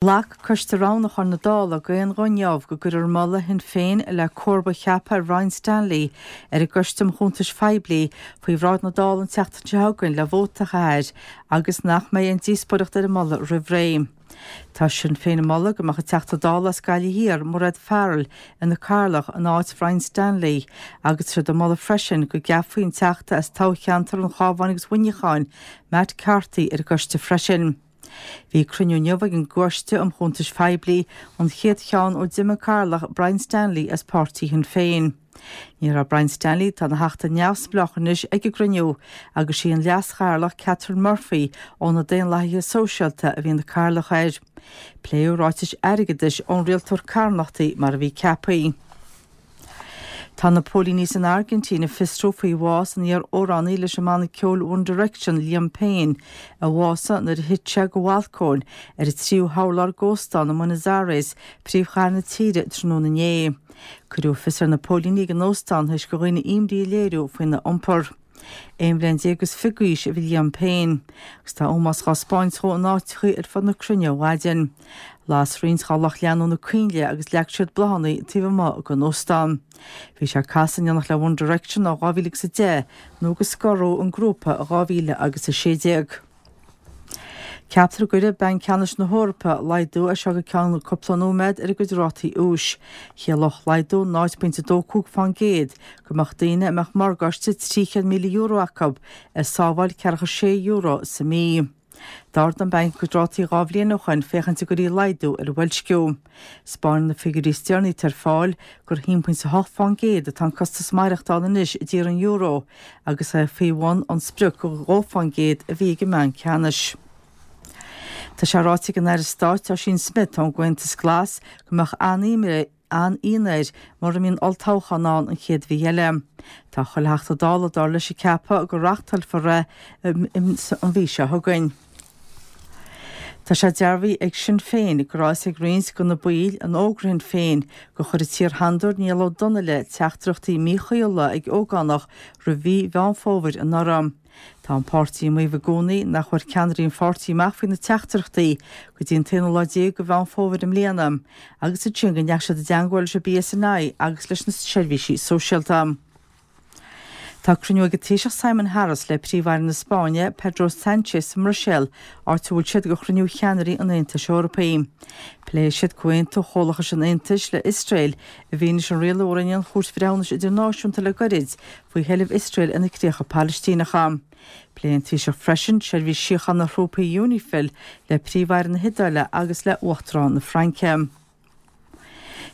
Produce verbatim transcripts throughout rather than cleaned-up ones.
Ghlac Coiste Roghnúcháin na Dála d'aon ghuth inniu go gcuirfear moladh Shinn Féin le comharba a cheapadh ar Brian Stanley ar an gCoiste um Chuntais Phoiblí faoi bhráid na Dála an tseachtain seo chugainn le vóta a chaitheamh air agus nach mbeidh aon díospóireacht ar an moladh roimh ré. Tá Sinn Féin ag moladh go mbeadh an Teachta Dála as Gaillimh Thiar, Mairéad Farrell, ina cathaoirleach in áit Brian Stanley agus tá siad ag moladh freisin go gceapfaí an Teachta as toghcheantar an Chabháin agus Mhuineacháin, Matt Carthy, ar an gcoiste freisin. Bhí cruinniú inniu ag an gCoiste um Chuntais Phoiblí, an chéad cheann ó d'imigh an cathaoirleach Brian Stanley as páirtí Shinn Féin. Ní raibh Brian Stanley, atá ina theachta neamhspleách anois, ag an gcruinniú agus sí an leaschathaoirleach Catherine Murphy ó na Daonlathaithe Sóisialta a bhí ina cathaoirleach air. Pléadh ráitis airgeadais ón rialtóir carthanachtaí mar a bhí ceaptha. Tá na póilíní san Airgintín ag fiosrú faoi bhás an iar-amhránaí leis an mbanna ceoil One Direction, Liam Payne, a bhásaigh nuair a thit sé de bhalcóin ar an tríú hurlár d'óstán i mBuenos Aires, príomhchathair na tíre, tráthnóna inné. Cuireadh fios ar na póilíní ag an óstán tar éis do dhaoine imní a léiriú faoina iompar. Aon bhliain déag agus fiche d'aois a bhí Liam Payne, agus tá ómós dhá spáint dhó in áiteachaí ar fud na cruinne ó mhaidin. Las roinnt dá lucht leanúna coinnle agus leag siad bláthanna taobh amuigh den óstán. Bhí sé ag casadh in éineacht le One Direction ó dhá mhíle agus a deich nó go scoradh an grúpa i dhá mhíle agus a sé déag. Ceaptar go gcuirfidh Banc Ceannais na hEorpa laghdú as seo go ceann cúpla nóiméad ar a gcuid rátaí úis. Chiallódh laghdú náid pointe a dó cúig fán gcéad go mbeadh daoine a mbeadh morgáiste trí chéad míle euro acu ag sábháil ceathracha sé euro sa mí. D'ardaigh an banc a gcuid rátaí dhá bhliain ó shoin féachaint an gcuirfí laghdú ar an bhoilsciú. 'Spáineann na figiúirí is deireanaí atá ar fáil gur haon pointe a hocht fán gcéad atá an costas maireachtála anois i dtír an euro agus é faoi bhun an sprioc de dhó fán gcéad a bhí ag an mBanc Ceannais. Tá sé ráite ag an Aire Stáit Ossian Smyth ón gComhaontas Glas go mbeadh an-ionadh air mura mbíonn olltoghchán ann an chéad mhí eile. Tá chuile Theachta Dála dar leis ag ceapadh go reáchtálfar é an mhí seo chugainn. Tá sé dearbhaithe ag Sinn Féin go raibh a fhios ag roinnt de na baill in Ógra Shinn Féin gur chuir an t-iar-shandair Niall Ó Donnaile teachtaireachtaí míchuibhiúla ag ógánach roimh mhí Mheán Fómhair anuraidh. Tá an páirtí ag maíomh i gcónaí nach bhfuair ceannairí an pháirtí amach faoi na teachtaireachtaí go dtí an t-aonú lá déag de Mheán Fómhair i mbliana agus ansin go ndeachaigh siad i dteangmháil leis an BSNI agus leis na seirbhísí sóisialta. Tá cruinniú ag an Taoiseach Simon Harris le Príomh-Aire na Spáinne, Pedro Sánchez sa mBruiséil, áit a bhfuil siad do chruinniú cheannairí an Aontais Eorpaigh. Pléifidh siad comhaontú chomhlachais an Aontais le Iosrael i bhfianaise an rialú a rinne an Chúirt Bhreithiúnais Idirnáisiúnta le goirid faoi sheilbh Iosrael ar na críocha Palaistíneacha. Pléifidh an Taoiseach freisin seirbhís síochána thrúpaí Unifil le Príomh-Aire na hIodáile agus le Uachtarán na Fraince.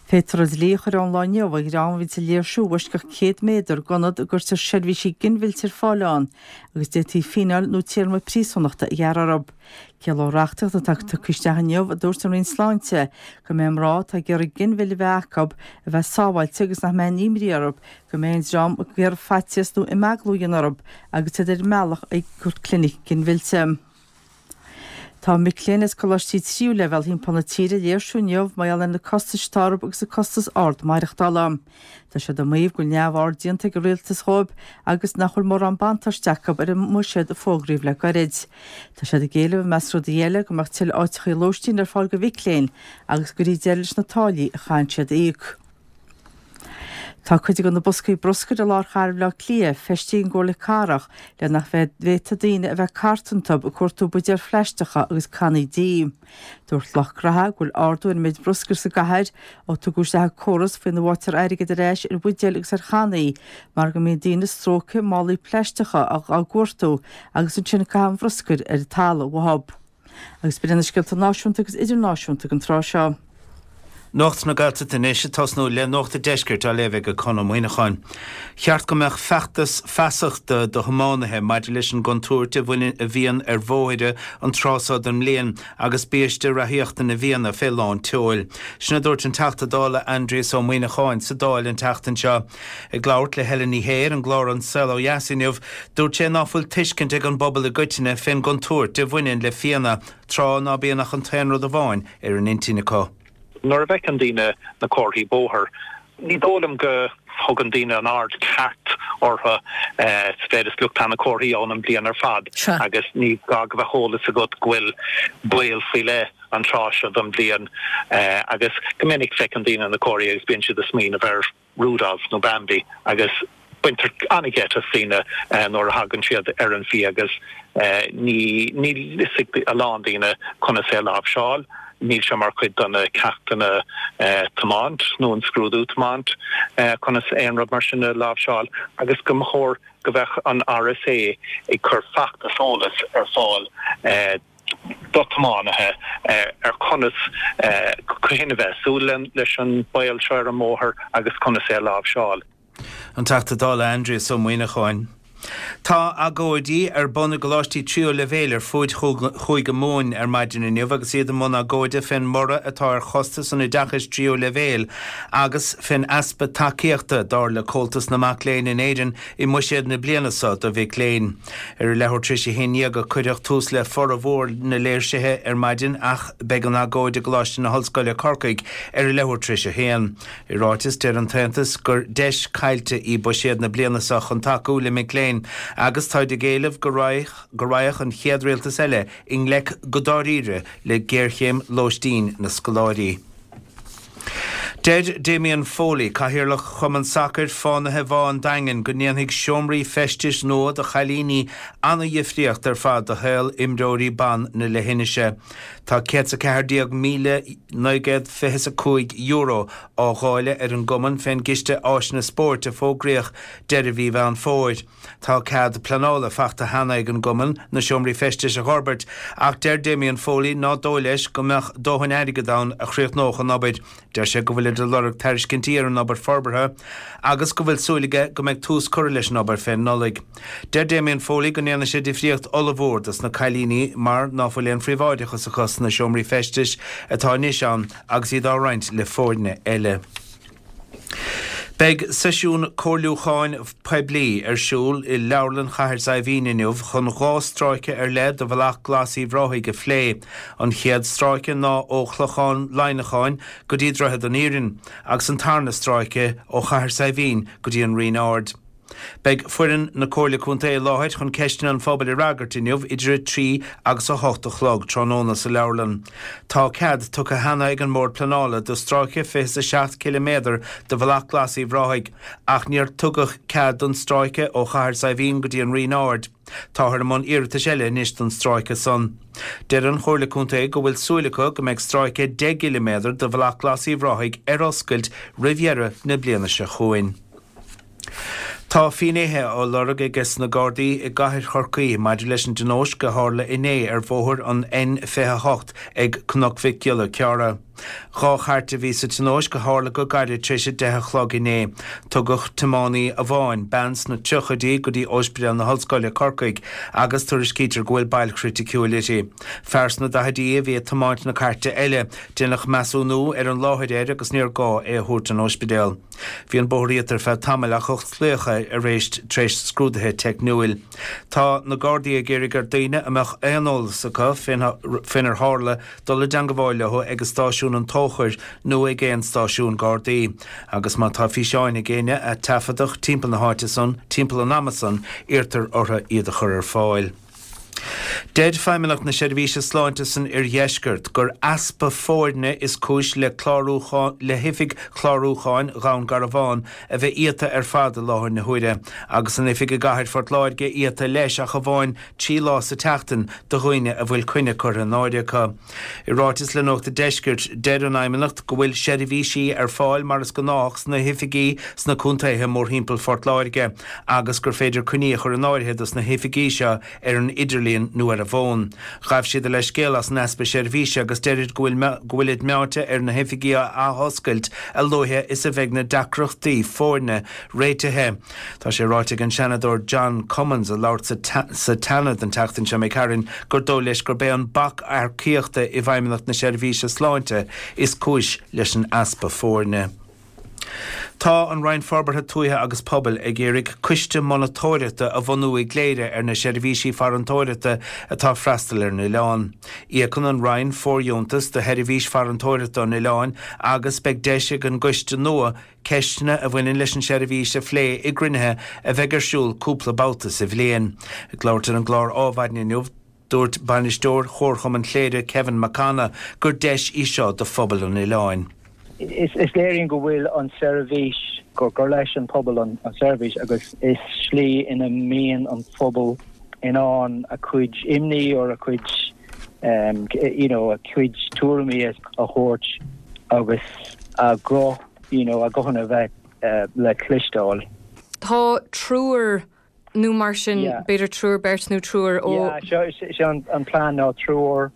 Féadfar an dlí a chur ón lá inniu ar dhream a bhíonns ag léirsiú i bhfoisceacht céad méadar d'ionad a gcuirtear seirbhísí ginmhillte ar fáil ann agus d'fhéadfaí fíneáil nó téarma príosúnachta a ghearradh orthu. Ciallóidh reachtaíocht atá tugtha isteach inniu, a dúirt an Roinn Sláinte, go mbeidh mná atá ag iarraidh ginmhilleadh a bheith acu a bheith sábháilte agus nach mbeidh aon imní orthu go mbeidh an dream ag iarraidh faitíos nó imeaglú a dhéanamh orthu agus iad ar a mbealach chuig clinic ginmhillte. Tá mic léinn as coláistí tríú leibhéal thimpeall na tíre ag léirsiú inniu mar gheall ar na costais atá orthu agus an costas ard maireachtála. Tá siad ag maíomh go bhfuil neamhaird déanta ag an rialtas dhóibh agus nach bhfuil mórán buntáiste acu ar an mbuiséad a fógraíodh le gairid. Tá siad ag éileamh i measc rudaí eile go mbeadh tuilleadh áiteachaí lóistín ar fáil do mhic léinn agus go gcuirfí deireadh leis na táillí a chaitheann siad a íoc. Tá cuid de na boscaí bruscair i lár chathair Bhaile Átha Cliath feistithe ag an gComhairle Cathrach le nach bhféadfadh daoine a bheith ag cartadh iontu ag cuartú buidéil phlaisteacha agus cannaí dí. Dúirt lucht graithe go bhfuil ardú ar an méid bruscair sa gcathair ó tugadh isteach an córas faoina bhfaightear airgead ar ais ar bhuidéil agus ar channaí mar go mbíonn daoine ag stróiceadh málaí plaisteacha á gcuartú agus ansin ag caitheamh an bhruscair ar an talamh uathu. Agus b'in iad na scéalta náisiúnta agus idirnáisiúnta don tráth seo. Nuacht na Gaeltachta anois ag tosnú le Nuacht an Deiscirt á léamh ag Conn Ó Muíneacháin. Cheart go mbeadh feachtas feasachta do thiománaithe maidir leis an gcontúirt a bhaineann a bhíonn ar bhóithre an tráth seo den mbliain agus biaiste reathaíochta na bhFianna fé lán tseoil. Sin a dúirt an Teachta Dála Aindrias Ó Muíneacháin sa Dáil an tseachtain seo. Ag labhairt le Helen Ní Shé ar an gclár An Saol Ó Dheas inniu, dúirt sé ná fuil tuiscint ag an bpobal i gcoitinne fén gcontúirt a bhaineann le fianna, tráth ná bíonn ach an t-aon rud amháin ar an intinn acu. Nuair a bhfeiceann daoine na comharthaí bóthair, ní dóigh liom go thugann daoine an aird ceart orthu sa mhéid is look tá na comharthaí ann an bliain ar fad agus ní gá go bheadh eolas agat go bhfuil baol faoi leith an tráth seo den bhliain agus go minic feiceann daoine na comharthaí agus bíonn siad ag smaoineamh ar Rudolph nó Bambi agus baintear an-gheit as daoine nuair a thagann siad ar an bhfia agus ní níl fhios ag a lán daoine conas é a láimhseáil. Níl sé mar chuid de na ceachtanna tiomáint nó an scrúdú tiomáint conas aon rud mar sin a láimhseáil agus go mba chóir go bheadh an RSA ag cur feachtas eolas ar fáil do thiománaithe ar conas cathain a bheith súil leis an baol seo ar an mbóthar agus conas é a láimhseáil. An Teachta Dála Aindrias Ó Muimhneacháin. Tá agóidí ar bun i gcoláistí tríú leibhéil ar fuaid Chúige Mumhan ar maidin inniu agus iad i mbun agóide fén mborradh atá ar chostas an oideachais tríú leibhéil agus fén easpa tacaíochta dar le Comhaltas na Mac Léinn in Éirinn i mbuiséad na bliana seo do mhic léinn. Ar a leathuair tar éis a haon déag a cuireadh tús le formhór na léirsithe ar maidin ach beidh an agóid i gColáiste na hOllscoile Corcaigh ar a leathuair tar éis a haon. I ráiteas deir an tAontas gur deis caillte í buiséad na bliana seo chun tacú le mic léinn agus táid ag éileamh go go raghadh an chéad rialtas eile i ngleic go dáiríre le géarchéim lóistín na scoláirí. Deir Damien Foley, Cathaoirleach Chumann Sacair Fánaithe Bhá an Daingin go ndéanfaidh seomraí feistis nua do chailíní an-dhifríocht ar fad do shaol imreoirí ban na leithinise. Tá céad 's a ceathair déag míle naoi gcéad fiche 's a cúig euro á dháileadh ar an gcumann fén gCiste Áiseanna Spóirt a fógraíodh deireadh mhí Mheán Fómhair. Tá cead pleanála fachta cheana ag an gcumann na seomraí feistis a dh'fhorbairt ach deir Damien Foley ná dóigh leis go mbeadh dóthain airgid ann a chríochnódh an obair. Deir sé go bhfuilid ag lorg tairiscintí ar an obair forbartha agus go bhfuil súil aige go mbeidh tús curtha leis an obair fén Nollaig. Deir Damien Foley go ndéanfaidh sé difríocht ollmhór dos na cailíní mar ná fuil aon phríobháideachas acu sna seomraí feistis atá anois ann agus iad á roinnt le foirne eile. Beidh seisiún comhairliúcháin poiblí ar siúl i Leabharlann Chathair Saidhbhín inniu chun dhá stráice ar leith de Bhealach Glas Uíbh Ráthaigh a phlé. An chéad stráice ná ó Chlochán Laighneacháin go dtí Droichead an Iarainn agus an tarna stráice ó Chathair Saidhbhín go dtí an Rinn Ard. Beidh foireann na Comhairle Contae i láthair chun ceisteanna an phobail a fhreagairt inniu idir a trí agus a hocht a chlog tráthnóna sa leabharlann. Tá cead tugtha cheana ag an mBord Pleanála do stráice fiche 's a seacht ciliméadar de Bhealach Glas Uíbh Ráthaigh ach níor tugadh cead don stráice ó Chathair Saidhbhín go dtí an Rinn Ard. Táthar i mbun iarratais eile anois don stráice san. Deir an Chomhairle Contae go bhfuil súil acu go mbeidh stráice deich gciliméadar de Bhealach Glas Uíbh Ráthaigh ar oscailt roimh dheireadh na bliana seo chugainn. Tá finnéithe á lorg aige sna Gardaí i gcathair Chorcaí maidir leis an dtionóisc a tharla inné ar bhóthar an N fiche a hocht ag Cnoc Mhic Giolla Cearra. Dhá chairt a bhí sa tionóisc a tharla go gairid tar éis a deich a chlog inné. Tugadh tiománaí amháin, bean sna tríochaidí, go dtí Ospidéal na hOllscoile, Corcaigh, agus tuairiscítear go bhfuil bail chriticiúil uirthi. Fear sna daichidí a bhí ag tiomáint na cairte eile. Déanadh measúnú ar an láthair air agus níor gá é a thabhairt don ospidéal. Bhí an bóthar iata ar feadh tamaill ach osclaíodh é arís tar éis scrúdaithe teicniúil. Tá na Gardaí ag iarraidh ar daoine a mbeadh aon eolas acu faoinar tharla dul i dteangabháil leo ag stáisiún an Tóchair nó ag aon stáisiún Gardaí. Agus má tá físeáin ag éinne a taifeadadh timpeall na háite san, timpeall an ama san, iarrtar orthu iad a chur ar fáil. Deir Feidhmeannacht na Seirbhíse Sláinte san Oirdheisceart gur easpa foirne is cúis le le hoifig chlárúcháin Dhún Garbhán a bheith iata ar fad i láthair na huaire, agus an oifig i gcathair Phort Láirge iata leis ach amháin trí lá sa tseachtain do dhaoine a bhfuil coinne curtha in áirithe acu. I ráiteas le Nuacht an Deiscirt, deir an Fheidhmeannacht go bhfuil seirbhísí ar fáil mar is gnách sna hoifigí sna contaetha mórthimpeall Phort Láirge agus gur féidir coinní a chur in áirithe dos na hoifigí seo ar an idirlíon nó ar an bhfón. Ghabh siad a leithscéal as an easpa seirbhíse agus deirid go bhfuil go bhfuilid meáite ar na hoifigí a athoscailt a luaithe is a bheidh na deacrachtaí foirne réitithe. Tá sé ráite ag an Seanadóir John Cummins a labhair sa tSeanad an tseachtain seo imigh tharainn gur dóigh leis gurb é an bac earcaíochta i bhFeidhmeannacht na Seirbhíse Sláinte is cúis leis an easpa foirne. Tá an Roinn Forbartha Tuaithe agus Pobail ag iarraidh coiste monatóireachta a bhunú i gCléire ar na seirbhísí farantóireachta atá ag freastal ar an oileán. Íocann an Roinn fóirdheontas do sheirbhís farantóireachta an oileáin agus beidh deis ag an gcoiste nua ceisteanna a bhaineann leis an seirbhís a phlé i gcruinnithe a bheidh ar siúl cúpla babhta sa bhliain. Ag labhairt ar an gclár Adhmhaidin inniu, Dúirt bainisteoir Chomharchumann Chléire Kevin Mac Cana gur deis í seo do phobal an oileáin. Is, is léiríonn go bhfuil an seirbhís gur gur leis an pobal an, an seirbhís agus is slí ina mbíonn an phobal in ann a cuid imní or a cuid um, you know, a cuid tuairimí a thabhairt agus a go you know, a guthanna bheith uh, le cloisteáil. Tá triúr nó mar sin b'fhéidir triúr beirt nó triúr ó sé an, an plean ná triúr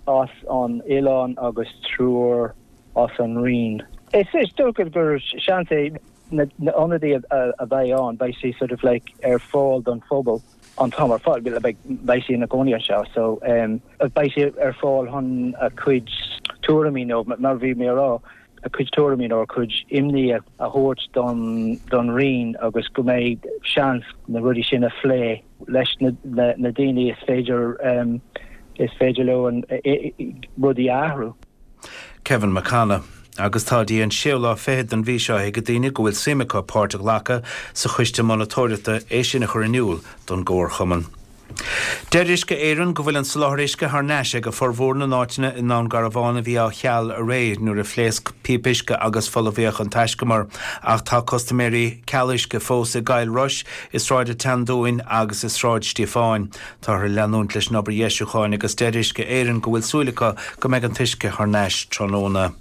as an oileán agus triúr as an Rinn. Is is dócha gur seans é na ionadaí a bheidh ann beidh sé sort of like ar fáil don phobal an t-am ar fáil beidh sé ina gcónaí anseo so um, beidh sé ar fáil chun a cuid tuairimí nó mar bhí mé rá a cuid tuairimí nó a cuid imní a thabhairt don don Rinn agus go mbeidh seans na rudaí sin a phlé leis na, na, na daoine is féidir um, is féidir leo an rudaí athrú. Kevin McCanna. Agus tá dtí an séú lá fichead den mhí seo ag daoine go bhfuil suim acu páirt a ghlacadh sa choiste monatóireachta é sin a chur in iúl don gComharchumann. Deir Uisce Éireann go bhfuil an soláthar uisce thar n-ais ag formhór na n-áiteanna i nDún Garbhán a bhí á cheal aréir nuair a phléasc píopa uisce agus folmhaíodh an taiscumar ach tá custaiméirí ceal uisce fós i gCill Rois, i Sráid an tSeandúin agus i Sráid Stíofáin. Táthar ag leanúint leis an obair dheisiúcháin agus deir Uisce Éireann go bhfuil súil acu go mbeidh an t-uisce thar n-ais tráthnóna.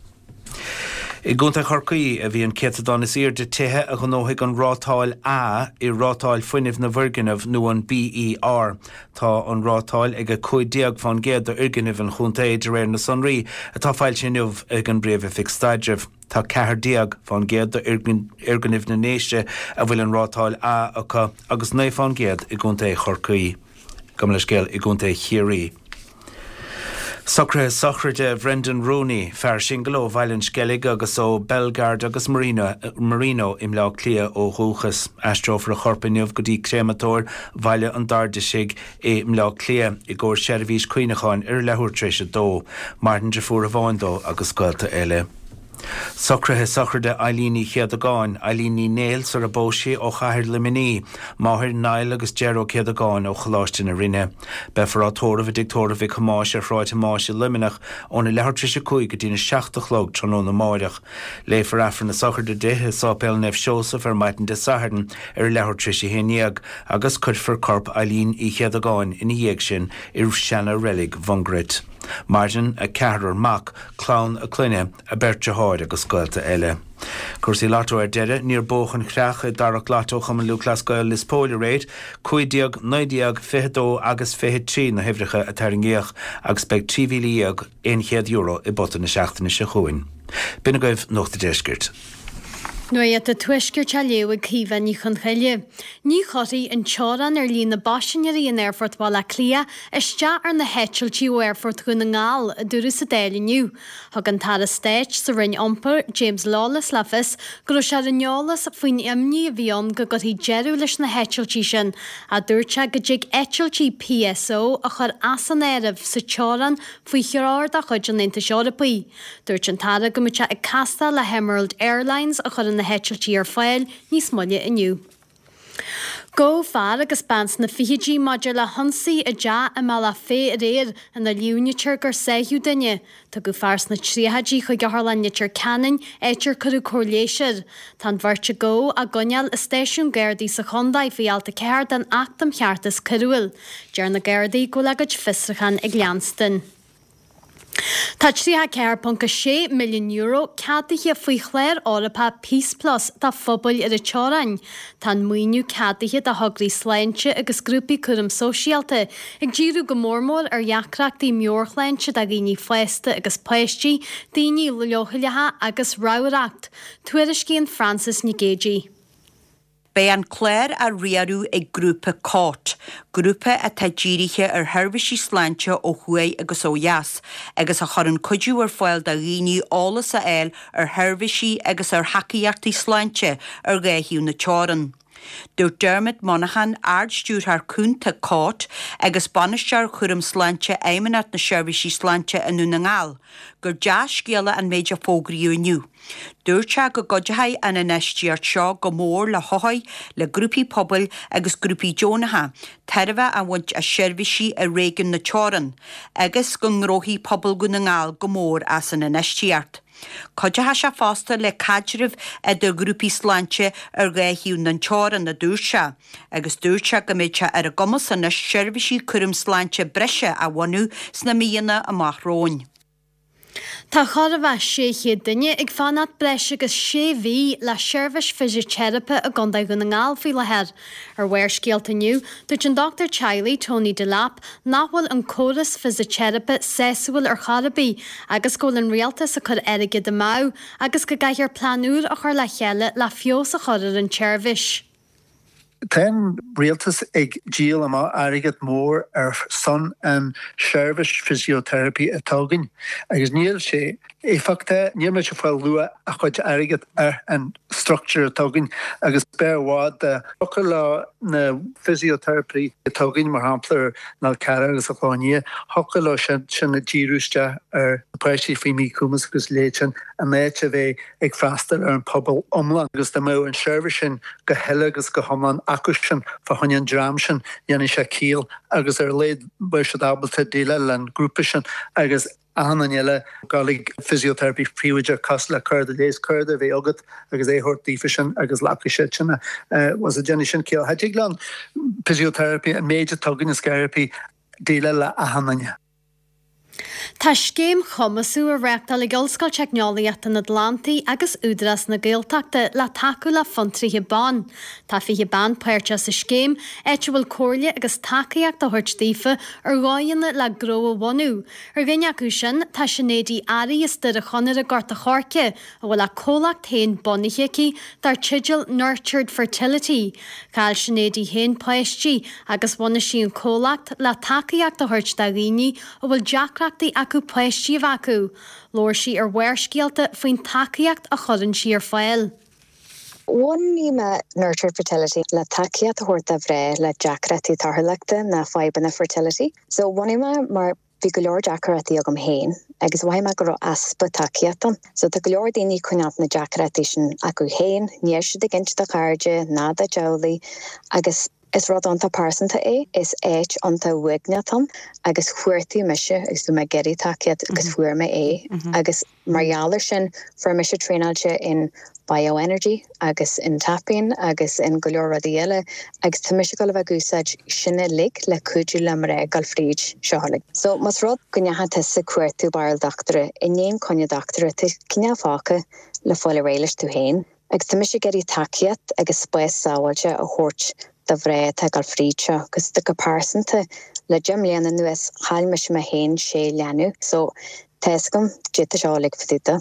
I gContae Chorcaí a bhí an céatadán is airde tithe a ghnóthaigh an rátáil A i rátáil fuinnimh na bhfoirgneamh nó an BER. Tá an rátáil ag a cúig déag faoin gcéad d'fhoirgnimh an chontae de réir na sonraí atá foilsithe inniu ag an bPríomh-Oifig Staidrimh. Tá ceathair déag faoin gcéad d'fhoirgnimh na nDéise a bhfuil an rátáil A acu agus naoi faoin gcéad i gContae Chorcaí. Gabh mo leithscéal i gContae Chiarraí. Socruithe sochraide Bhrendan Rooney, fear singil ó Bhaile an Sceilg agus ó Belgard agus Marino, Marino i mBleá Cliath ó dhúchas. Aistreofar a chorp inniu go dtí créamatóir Bhaile an Dairdisigh i mBleá Cliath i gcomhair seirbhís cuimhneacháin ar a leathuair tar éis a dó. Maireann deirfiúr amháin dó agus gaolta eile. Socruithe sochraide Eileen Ní Chéadagáin, Eileen Ní Néill sar a bpós sí ó chathair Luimnigh, máthair Niall agus Ger Ó Céadagáin ó Choláiste na Rinne. Beifear á tórramh i dTigh Tórraimh Mhic Thomáis ar Shráid Thomáis i Luimneach óna leathuair tar éis a cúig go dtína seacht a chlog tráthnóna amáireach. Léifear Aifreann na sochraide di i Sáipéal Naomh Seosamh ar maidin Dé Sathairn ar a leathuair tar éis a haon dhéag agus cuirfear corp Eileen Uí Chéadagáin ina dhiaidh sin i seana-reilig Mhungairit. Maireann a ceathrar mac, clann a clainne, a beirt deartháir agus gaolta eile. Cúrsaí Lotto ar deireadh, níor buadh an chreach i dtarrac Lotto Chumann Lúthchleas Gael Lios Póil aréir, cúig déag, naoi déag, fiche dó agus fiche trí na huimhreacha a tarraingíodh agus beidh trí mhíle dhéag aon chéad euro i bpota na seachtaine seo chugainn. B'in agaibh Nuacht an Deiscirt. Nuacht an Tuaiscirt á léamh ag Caoimhe Ní Chonchoille. Ní chuirfidh an teorainn ar líon na bpaisinéirí in Aerfort Bhaile Átha Cliath isteach ar na heitiltí ó Aerfort Dhún na nGall, a dúradh sa Dáil inniu. Thug an tAire Stáit sa Roinn Iompair, James Lawless le fios go raibh sé ar an eolas faoin imní a bhí ann go gcuirfí deireadh leis na heitiltí sin, ach dúirt sé go dtig eitiltí PSO a chur as an áireamh sa teorainn faoi threoir de chuid an Aontais Eorpaigh. Dúirt an tAire go mbeadh sé ag castáil le hEmerald Airlines a chuireann na heitiltí ar fáil níos moille inniu. Gabhadh fear agus bean sna fichidí maidir le hionsaí i dteach i mBealach Féich aréir ina líomhnaítear gur sáitheadh duine. Tugadh fear sna tríochaidí chuig Otharlann Leitir Ceanainn, áit ar cuireadh cóir leighis air. Tá an bheirt a gabhadh á gcoinneáil i stáisiún Gardaí sa chontae faoi alt a ceathair den Acht um Cheartas Coiriúil. Deir na Gardaí go bhfuil a gcuid fiosrúchán ag leanstan. Tá tríocha a ceathair ponc a sé milliún euro ceadaithe faoi chlár Eorpach Peace Plus do phobail ar an teorainn. Tá an maoiniú ceadaithe do thograí sláinte agus grúpaí cúram sóisialta ag díriú go mór mór ar dheacrachtaí meabhairshláinte do dhaoine fásta agus páistí, daoine leochaileacha agus ramhracht. Tuairiscíonn Frances Nic Géadaigh. Beidh an clár á riaradh ag grúpa Cót, grúpa atá dírithe ar sheirbhísí sláinte ó thuaidh agus ó dheas, agus a chuireann cuidiú ar fáil do dhaoine eolas a fháil ar sheirbhísí agus ar thacaíochtaí sláinte ar dhá thaobh na teorann. Dúirt Dermot Monaghan, Ard-Stiúrthóir Cúnta CAUT agus Bainisteoir Chúram Sláinte Fheidhmeannacht na Seirbhísí Sláinte i nDún na nGall, gur dea-scéala an méid a fógraíodh inniu. Dúirt sé go gcuideoidh an infheistíocht seo go mór le hothair, le grúpaí pobail agus grúpaí deonacha tairbhe a bhaint as seirbhísí i réigiún na teorann agus go ngnóthóidh pobal Dhún na nGall go mór as an infheistíocht. Cuideoidh sé fosta le caidreamh idir ghrúpaí sláinte ar dhá thaobh na teorann, a dúirt sé, agus dúirt sé go mbeidh sé ar a gcumas anois seirbhísí cúram sláinte breise a bhunú sna míonna amach romhainn. Tá chóir a bheith sé chéad duine ag fanacht breis agus sé mhí le seirbhís fisiteiripe i gContae Dhún na nGall faoi láthair. Ar Bharrscéalta inniu, dúirt an dochtúir teaghlaigh Tony Delap nach bhfuil an córas fisiteiripe sásúil ar chor ar bith agus go bhfuil an rialtas ag cur airgead amú agus go gcaithfear plean úr a chur le chéile le feabhas a chur ar an tseirbhís. Tá an rialtas ag díol amach airgead mór ar son an seirbhís physiotherapy atá againn agus níl sé éifeachtach, níl muid ag fáil luach a chuid airgead ar an structure atá againn agus b'fhearr i bhfad dá thiocfadh le na physiotherapy atá againn mar shampla ar an Fhál Carrach agus an Chlochán Liath, thiocfadh leo sin sin a díriú isteach ar na páistí faoi mhíchumas agus leithéid sin in áit a bheith ag freastal ar an pobal iomlán agus dá mbeadh an seirbhís sin go huile agus go hiomlán acu sin fá choinne an dream sin dhéanfaidh sé ciall agus ar a laghad beidh siad ábalta déileáil le an grúpa sin agus achan duine eile gabháil ag physiotherapy príobháideach cosúil le cárta leighis cárta a bheith agat agus é a thabhairt daofa sin agus glacfaidh siad sin é. Was déanfaidh sin ciall. Cha dtig le an physiotherapy an méid atá againn is therapy déileáil le achan duine. Tá scéim chumasú á reáchtáil ag Ollscoil Teicneolaíochta an Atlantaigh agus Údarás na Gaeltachta le tacú le fiontraithe ban. Tá fiche bean páirteach sa scéim, áit a bhfuil comhairle agus tacaíocht á thabhairt daofa ar dhóigheanna le gnó a bhunú. Ar dhuine acu sin, tá Sinéad Uí Fhearraigh as Doire Chonaire Gort a' Choirce, a bhfuil a comhlacht féin bunaithe aici dar teideal Nurtured Fertility. Chaill Sinéad í féin páistí agus bhunaigh sí an comhlacht le tacaíocht a thabhairt do dhaoine a bhfuil deacrachtaí acu páistí a bheith acu. Labhair sí ar Bharrscéalta faoin tacaíocht a chuireann sí ar fáil. Bhunaigh mé Nurtured Fertility le tacaíocht a thabhairt do mhná le deacrachtaí torthúlachta nó fadhbanna fertility. So bhunaigh mé mar bhí go leor deacrachtaí agam féin agus mhothaigh mé go raibh easpa tacaíocht ann. So tá go leor daoine ag coinneáil na deacrachtaí sin acu féin, níl siad ag inse dá gcairde ná dá dteaghlaigh agus is rud iontach pearsanta é, is áit iontach uaigneach ann agus chuartaigh mise agus bhí mé ag iarraidh tacaíocht agus fuair mé é agus mar gheall air sin fuair mise traenáilte in bioenergy agus in tapping agus in go leor rudaí eile agus tá mise ag dul a bheith ag úsáid sin uilig le cuidiú le mná ag dul fríd seo uilig. So más rud go ndeachaigh tusa ag cuartú barúil dochtúra i ndiaidh coinne dochtúra tú cineál fágtha le fáil réidh leis tú féin. Agus tá mise ag iarraidh tacaíocht agus spás sábháilte a thabhairt do mhná atá ag dul fríd seo, agus do go pearsanta le deich mbliana anuas chaill mise mé féin sé leanbh, so tá fhios agam cad é seo uilig fá dtaobh de.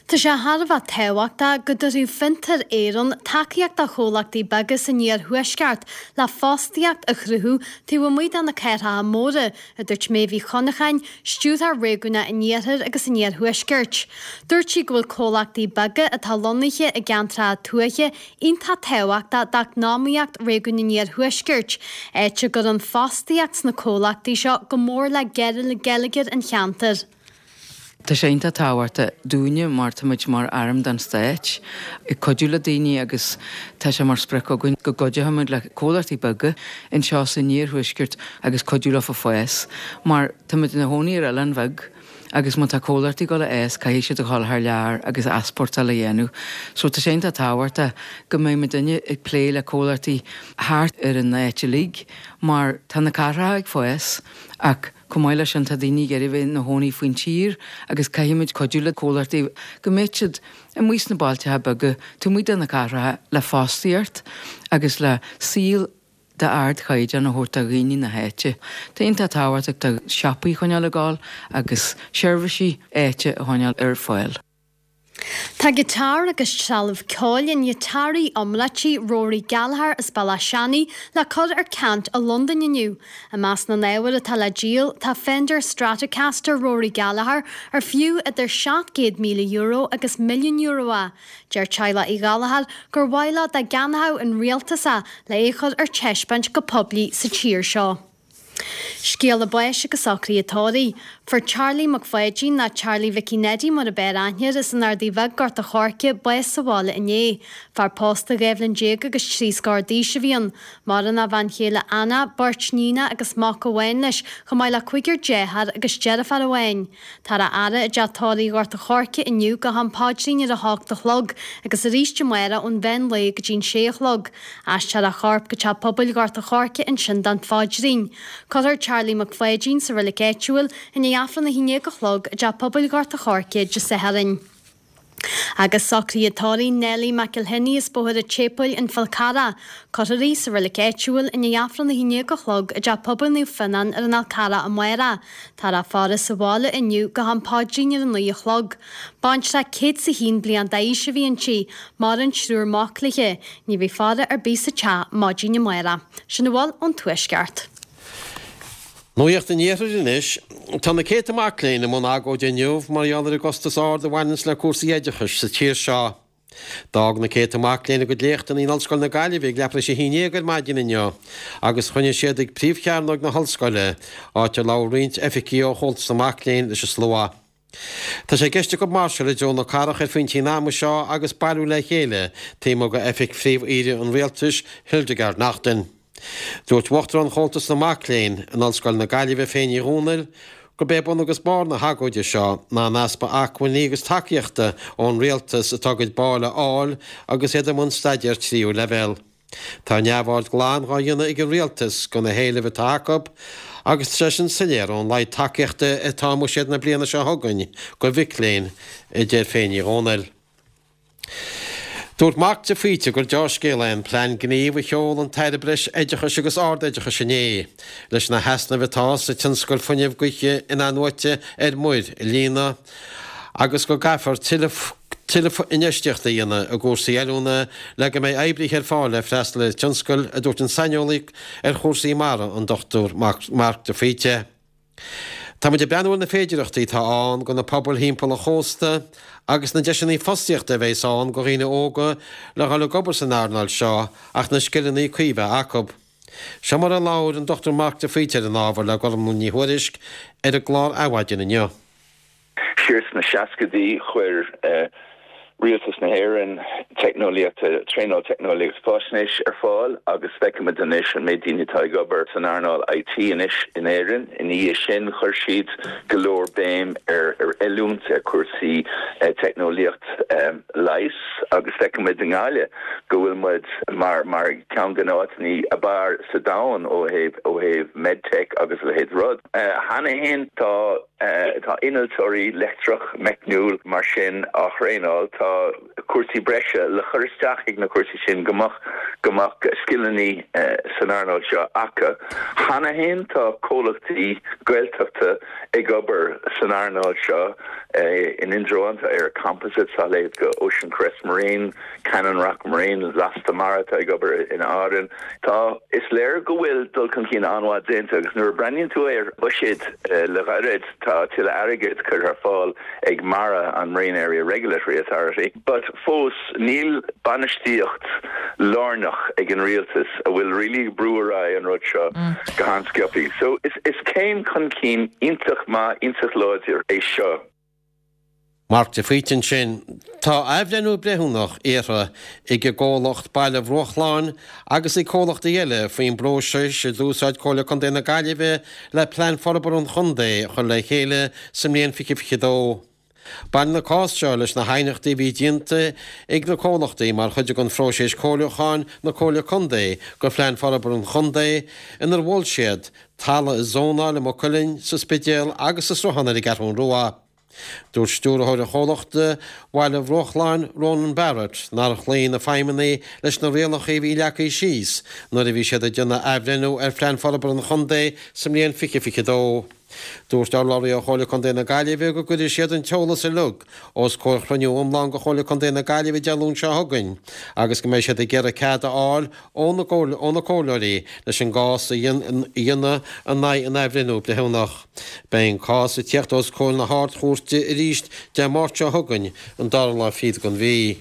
Tá sé thar a bheith tábhachtach go dtabharfaidh Fiontar Éireann tacaíocht do chomhlachtaí beaga san iarthuaisceart le fostaíocht a chruthú taobh amuigh de na cathracha móra, a dúirt Méabh Uí Chonacháin, stiúrthóir réigiúnach an Iarthair agus an Iarthuaiscirt. Dúirt sí go bhfuil comhlachtaí beaga atá lonnaithe i gceantracha tuaithe iontach tábhachtach d'eacnamaíocht réigiún an Iarthuaiscirt, áit a gcuireann fostaíocht sna comhlachtaí seo go mór le geilleagar an cheantair. Tá sé iontach tábhachtach dúinne mar táimid mar arm den stát ag cuidiú le daoine agus tá sé mar sprioc againn go gcuideoimid le comhlachtaí beaga anseo san iarthuaisceart agus cuidiú leo fás mar táimid ina gcónaí ar oileán bheag agus má tá comhlachtaí ag dul a fhás caithfidh siad a dhul thar lear agus easpórtáil a dhéanamh. So tá sé iontach tábhachtach go mbeidh muidinne ag plé le comhlachtaí thart ar an áit uilig mar tá na cathracha ag fás ach chomh maith leis sin tá daoine ag iarraidh bheith ina gcónaí faoin tír agus caithfimid cuidiú le comhlachtaí go mbeidh siad amuigh sna bailteacha beaga taobh amuigh de na cathracha le fostaíocht agus le saol d'ardchaighdeán a thabhairt do dhaoine na háite. Tá iontach tábhachtach do siopaí a choinneáil ag gabháil agus seirbhísí áite a choinneáil ar fáil. Tá giotár agus trealamh ceoil an ghiotáraí iomráitigh Rory Gallagher as Béal Átha Seanaidh le cur ar ceant i Londain inniu. I measc na n-ábhar atá le díol tá Fender Stratocaster Rory Gallagher ar fiú idir seacht gcéad míle euro agus milliún euro é. Deir teaghlach Uí Ghallchóir gur mhaith leo dá gceannódh an rialtas é le é chur ar taispeáint go poiblí sa tír seo. Scéala báis agus socruithe tórraimh. Fuair Charlie Mac Pháidín, nó Charlie Mhicí Neidí mar ab fhearr aithne air, as an Ardaidh Bheag, Gort a' Choirce, bás sa bhaile inné. Fear pósta dhá bhliain déag agus trí scór d'aois a bhí ann. Maireann a bhean chéile Anna, beirt níonacha agus mac amháin leis, chomh maith le cúigear dearthár agus deirfiúr amháin. Táthar á fhaire i dteach tórraimh Ghort a' Choirce inniu go ham paidrín ar a hocht a chlog agus arís amárach ón mheán lae go dtí'n sé a chlog. Aistreofar a chorp go teach pobail Ghort a' Choirce ansin don phaidrín. Cuirfear Charlie Mac Pháidín sa reilig áitiúil i ndiaidh Aifreann a haon déag a chlog i dteach pobail Ghort a' Choirce Dé Sathairn. Agus socruithe tórraimh Nellie McElhinney as Bóthar an tSéipéil, An Fál Carrach. Cuirfear í sa reilig áitiúil i ndiaidh Aifreann a haon déag a chlog i dteach pobail Naomh Fionnán ar an Fhál Carrach amárach. Táthar á faire sa bhaile inniu go ham paidrín ar a naoi a chlog. Baintreach céad 's a haon bliain d'aois a bhí inti. Maireann triúr mac léi. Ní bheidh faire ar bith sa teach maidin amárach. Sin a bhfuil ón Tuaisceart. Nuacht an Iarthair anois. Tá na céadta mac léinn i mbun agóide inniu mar gheall ar an gcostas ard a bhaineanns le cúrsaí oideachais sa tír seo. D'fhág na céadta mac léinn a gcuid léachtanna in Ollscoil na Gaillimhe ag leathuair tar éis a haon déag ar maidin inniu agus chruinnigh siad ag príomhchearnóg na hollscoile, áit ar labhair roinnt oifigigh ó Chomhaltas na Mac Léinn leis an slua. Tá sé i gceist acu máirseáil i dtreo na cathrach ar phointí an ama seo agus bailiú le chéile taobh amuigh d'oifig Phríomh-Aoire an Rialtais, Hildegarde Naughton. Dúirt Uachtarán Chomhaltas na Mac Léinn in Ollscoil na Gaillimhe, Féin Ní Dhomhnaill, gurb é bun agus barr na hagóide seo ná an easpa acmhainní agus tacaíochta ón rialtas atá a gcuid ball a fháil agus iad i mbun staidéar tríú leibhéal. Tá neamhaird glan dhá dhéanamh ag an rialtas go na héilimh atá acu agus tá sé sin soiléir ón laghad tacaíochta atá i mbuiséad na bliana seo chugainn go mhic léinn, a deir Féin Ní Dhomhnaill. Dúirt Mark de Faoite gur deá-scéal é an plean gnímh a sheol an tAire Breis Oideachais agus Ard-Oideachais inné leis na heasnaimh atá sa tionscal fuinnimh gaoithe in-athnuaite ar muir a líonadh agus go gcaithfear tuilleadh infheistíochta a dhéanamh i gcúrsaí oiliúna le go mbeidh oibrithe ar fáil le freastal ar an tionscal, a dúirt an saineolaí ar chúrsaí mara, an Dochtúir Mark de Faoite. Tá muid ag breathnú ar na féidearthachtaí atá ann go na pobail thimpeall an chósta agus na deiseanna fostaíochta a bheas ann go dhaoine óga le dhul ag obair san earnáil seo ach na scileanna cuí bheith acu. Seo mar a labhair an Dochtúir Mark de Faoite ar an ábhar le Gormlaith Ní Thuairisg ar an gclár Adhmhaidin inniu. Siar sna seascaidí chuir Rialtas na hÉireann teicneolaíocht, traenáil teicneolaíocht faisnéis ar fáil agus feicimid anois an méid daoine atá ag obair san earnáil I T anois in Éirinn. Ina dhiaidh sin chuir siad go leor béim ar ar oiliúint ar chúrsaí teicneolaíocht leighis agus feicimid i nGaillimh go bhfuil muid mar mar ceann de na áiteanna ab fhearr sa domhan ó thaobh ó thaobh medtech agus a leithéid rud. Cheana féin tá Tá innealtóirí leictreach, meicniúil mar sin á thraenáil. Tá cúrsaí breise le cur isteach ag na cúrsaí sin go mbeadh go mbeadh scileanna san earnáil seo acu. Cheana féin tá comhlachtaí Gaeltachta ag obair san earnáil seo in Indreabhán, tá ÉireComposites, tá a leithéid de Ocean Crest Marine, Cannon Rock Marine, Lasta Mara atá ag obair in Árainn. Tá, is léir go bhfuil dul chun cinn an-mhaith déanta agus nuair a breathnaíonn tú ar bhuiséad le gairid tá tuilleadh airgid curtha ar fáil ag MARA, an Marine Area Regulatory Authority, but fós níl bainistíocht lárnach ag an rialtas a bhfuil really ag brú ar aghaidh an rud seo go han-sciobtha. So is is céim chun cinn iontach maith, iontach láidir é seo. Mark de Faoite ansin. Tá athbhreithniú breithiúnach iarrtha ag an gcomhlacht Baile Bhruachláin agus ag comhlachtaí eile faoin bpróiseas a d'úsáid Comhairle Contae na Gaillimhe le Plean Forbartha an Chontae a chur le chéile sa mbliain fiche fiche dó. Baineann an cás seo leis na haighneachtaí a bhí déanta ag na comhlachtaí mar chuid den phróiseas comhairliúcháin na Comhairle Contae do Phlean Forbartha an Chontae inar mhol siad talamh a zónáil i Maigh Cuilinn, sa Spidéal agus sa Sruthán ar an gCeathrú Rua. Dúirt stiúrthóir an chomhlachta Bhaile Bhruachláin, Ronan Barrett, nár chloígh na feidhmeannaigh leis na rialacha a bhí leagtha síos nuair a bhí siad ag déanamh athbhreithniú ar Phlean Forbartha an Chontae sa mbliain fiche fiche dó. Dúirt urlabhraí ó Chomhairle Contae na Gaillimhe go gcuirfidh siad an t-eolas uilig os comhair chruinniú iomlán de Chomhairle Contae na Gaillimhe Dé Luain seo chugainn agus go mbeidh siad ag iarraidh cead a fháil ó na comhairleoirí leis an gcás a dhéanamh in aghaidh an athbhreithniú breithiúnach. Beidh an cás ag tíocht os comhair na hArd-Chúirte arís Dé Máirt seo chugainn, an dara lá fichead den mhí.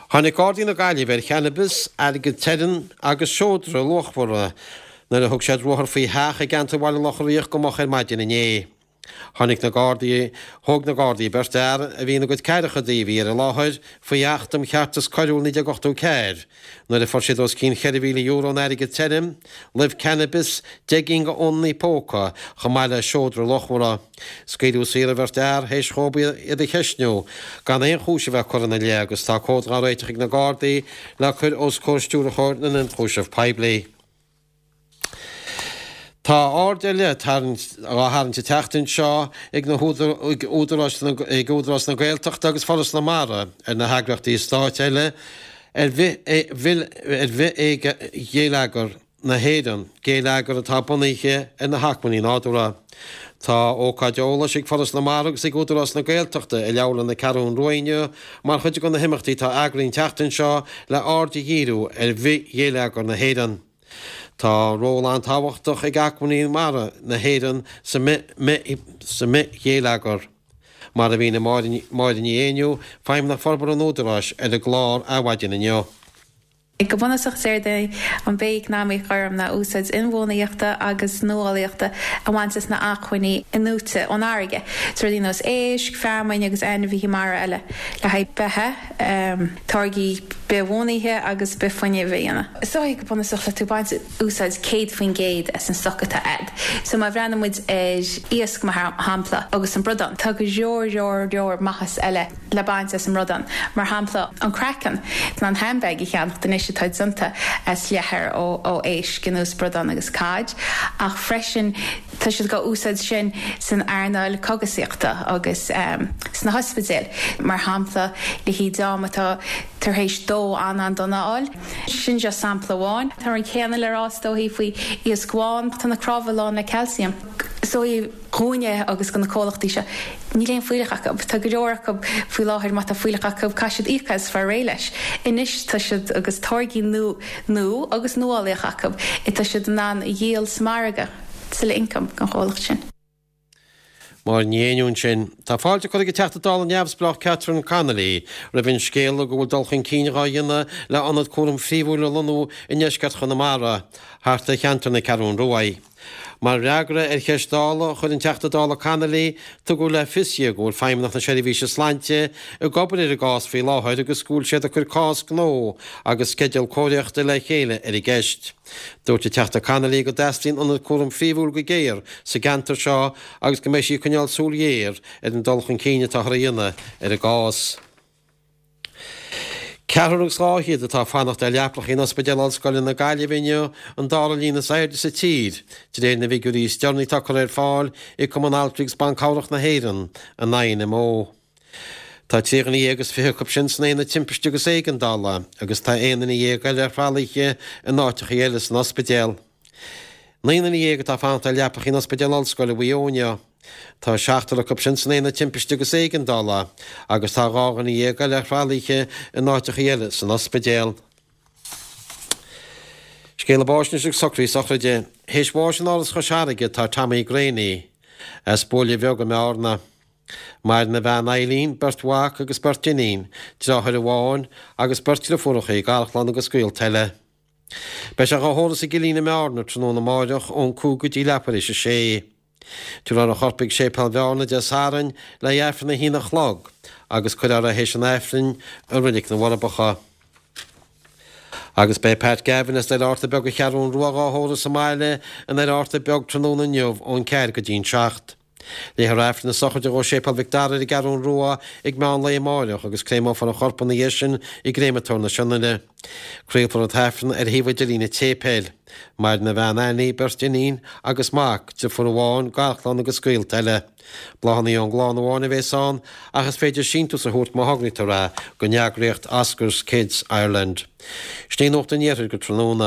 Tháinig Gardaí na Gaillimhe ar channabas, airgead tirim agus seodra luachmhara nuair a thug siad ruathar faoi theach i gceantar Bhaile Locha Riach go moch ar maidin inné. Tháinig na Gardaí, thóg na Gardaí beirt fhear a bhí ina gcuid ceathrachaidí a bhí ar an láthair faoi Acht um Cheartas Coiriúil naoi déag ochtó ceathair nuair a fuair siad os cionn cheithre mhíle euro in airgead tirim, luibh cannabis, deich gcinn de fhónannaí póca chomh maith le seodra luachmhara. Scaoileadh saor an bheirt fhear théis dhóibh iad a cheistniú gan aon chúis a bheith curtha ina leith agus tá comhad dhá réiteach ag na Gardaí le cur os comhair Stiúrthóir na nIonchúiseamh Poiblí. Tá aird ar leith á tharraingt an tseachtain seo ag na hÚdarás ag Údarás na Gaeltachta agus Foras na Mara ar na heagraíochtaí stáit eile ar bhithghéilleagar na hÉireann, géilleagar atá bunaithe ar na hacmhainní nádúrtha. Tá ócáid eolais ag Foras na Mara agus ag Údarás na Gaeltachta i Leabharlann na Ceathrún Rua inniu mar chuid de na himeachtaí atá eagraithe an tseachtain seo le aird a dhíriú ar bhithghéilleagar na hÉireann. Tá ról an-tábhachtach ag acmhainní mara na hÉireann sa mbithghéilleagar, mar a mhínigh Máire Ní Éinniú, Feidhmeannach Forbartha an Údaráis, ar an gclár Adhmhaidin inniu. Go bunúsach is éard é an bhith-eacnamaíocht ghorm ná úsáid inbhuanaithe agus nuálaíochta a bhaint as na acmhainní inúite ón fharraige, so rudaí nós éisc, feamainn agus ainmhithe mara eile, le haghaidh beatha, táirgí bithbhunaithe agus bithfhuinneamh a dhéanamh. So go bunúsach le tú baint úsáid céad faoin gcéad as an stoc atá a'd. So má bhreathnaíonn muid ar iasc mar shampla agus an bradán, tá go leor leor leor maitheas eile le baint as an mbradán, mar shampla an craiceann, an handbag a cheannacht anois atá déanta as leathar ó ó éisc ar nós bradán agus cod, ach freisin tá siad á úsáid sin san earnáil cogasaíochta agus sna hospidéil, mar shampla le haghaidh dream atá tar éis dó an-an-dona a fháil. Sin just sampla amháin. Tá an céanna le rá is dóichí faoi iasc bhán, tá na cnámha lán le calcium. So dhúinne agus do na comhlachtaí seo, níl aon fuílleach acu. Tá go leor acu faoi láthair má tá fuílleach acu caithfidh siad íoc as fáil réidh leis. Anois tá siad agus táirgí nua nua agus nuálaíoch acu atá siad in ann a dhíol sa margadh. Tuilleadh income don chomhlacht sin. Máire Ní Éinniú ansin. Tá fáilte curtha ag an Teachta Dála neamhspleách Catherine Connolly roimh an scéala go bhfuil dul chun cinn dhá dhéanamh le ionad cúraim phríomhúil a lonnú i ndeisceart Chonamara, thart ar cheantar na Ceathrún Rua. Mar fhreagra ar cheist Dála a chuir an Teachta Dála Connolly, tugadh le fios di go bhfuil Feidhmeannacht na Seirbhíse Sláinte ag obair ar an gcás faoi láthair agus go bhfuil siad ag cur cás gnó agus sceideal cóiríochta le chéile ar an gceist. Dúirt an Teachta Connolly go dteastaíonn ionad cúraim phríomhúil go géar sa gceantar seo agus go mbeidh sí ag coinneáil súil ghéar ar an dul chun cinn atáthar a dhéanamh ar an gcás. Ceathrar agus dhá fhichead atá ag fanacht ar leapacha in Ospidéal Ollscoile na Gaillimhe inniu, an dara líon is airde sa tír, de réir na bhfigiúirí is deireanaí atá curtha ar fáil ag Cumann Altraí agus Ban Cabhrach na hÉireann, an INMO. Tá trí dhuine dhéag is fiche acu sin san aonad timpiste agus éigeandála agus tá aon duine dhéag eile ar thralaithe in áiteacha eile san ospidéal. Naoi nduine dhéag atá ag fanacht ar leapacha in Ospidéal Ollscoile Mhaigh Eo inniu. Tá seachtar acu sin san aonad timpiste agus éigeandála agus tá dhá dhuine dhéag eile ar thralaithe in áiteacha eile san ospidéal. Scéala báis anois agus socruithe sochraide. Théis bháis in Áras Chois Fharraige tá Tommy Greaney as Buaile Bheag i mBearna. Maireann a bhean Eileen, beirt mhac agus beirt iníon, deartháir amháin agus beirt deirfiúracha, garchlann agus gaolta eile. Beidh sé dhá thórramh sa gCillín i mBearna tráthnóna amáireach ón cúig go dtí leathuair théis a sé. Tabharfar a chorp chuig Séipéal Bhearna Dé Sathairn le haghaidh Aifreann a haon a chlog agus cuirfear é théis an Aifrinn i Reilig na bhForbacha. Agus beidh Pat Gavin as Doire Fhatharta Beag an Cheathrún Rua dhá thórramh sa mbaile i nDoire Fhatharta Beag tráthnóna inniu ón ceathair go dtí'n seacht. Léifear Aifreann na sochraide dhó i Séipéal Mhic Dara ar an gCeathrún Rua ag meán lae amáireach agus créamófar a chorp ina dhiaidh sin i gcréamatóir na Sionainne. Craolfar an t-aifreann ar shuíomh idirlín an tséipéil. Maireann a bhean Annie, beirt iníon agus mac, deirfiúr amháin, garchlann agus gaolta eile. Bláthanna ón gclann amháin a bhéas ann ach is féidir síntiús a thabhairt má thograítear é don eagraíocht Oscar's Kids Ireland. Sin í Nuacht an Iarthair go tráthnóna.